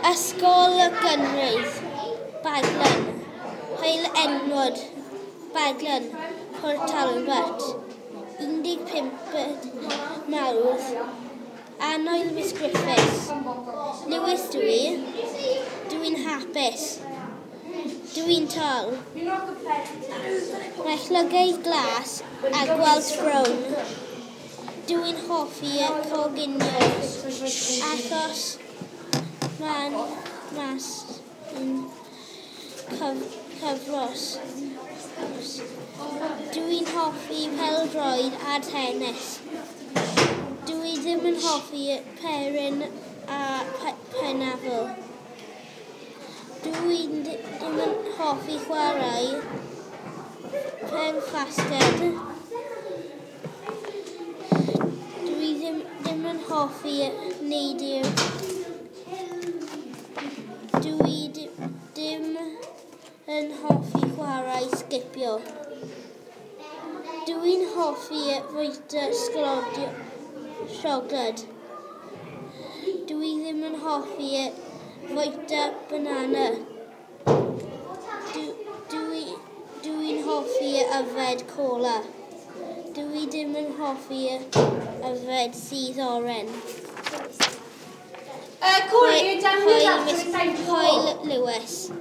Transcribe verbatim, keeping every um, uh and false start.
Ysgol Gynradd, Baglan, Heol Edward, Baglan, Port Talbot, un deg pump Mawrth, Annwyl Miss Griffiths. Lewis dwi, dwi'n hapus. Dwi'n tal. Mae llygaid glas a gwallt brown. Dwi'n hoffi coginio achos mae'n mas yn cyf cyfros. Dwi'n hoffi pêl-droed a tennis. Dwi ddim yn hoffi peryn a pineapple. Dwi ddim yn hoffi chwarae pêl-fasged. Dwi ddim, ddim yn hoffi neidio. Dwi ddim yn hoffi chwarae sgipio. Dwi'n hoffi fwyta sglodion siocled. Dwi ddim yn hoffi fwyta banana. Dwi, dwi'n hoffi yfed cola. Dwi ddim yn hoffi yfed sudd oren. Uh, Corey, you're down Hwyl, Miss Hwyl Lewis.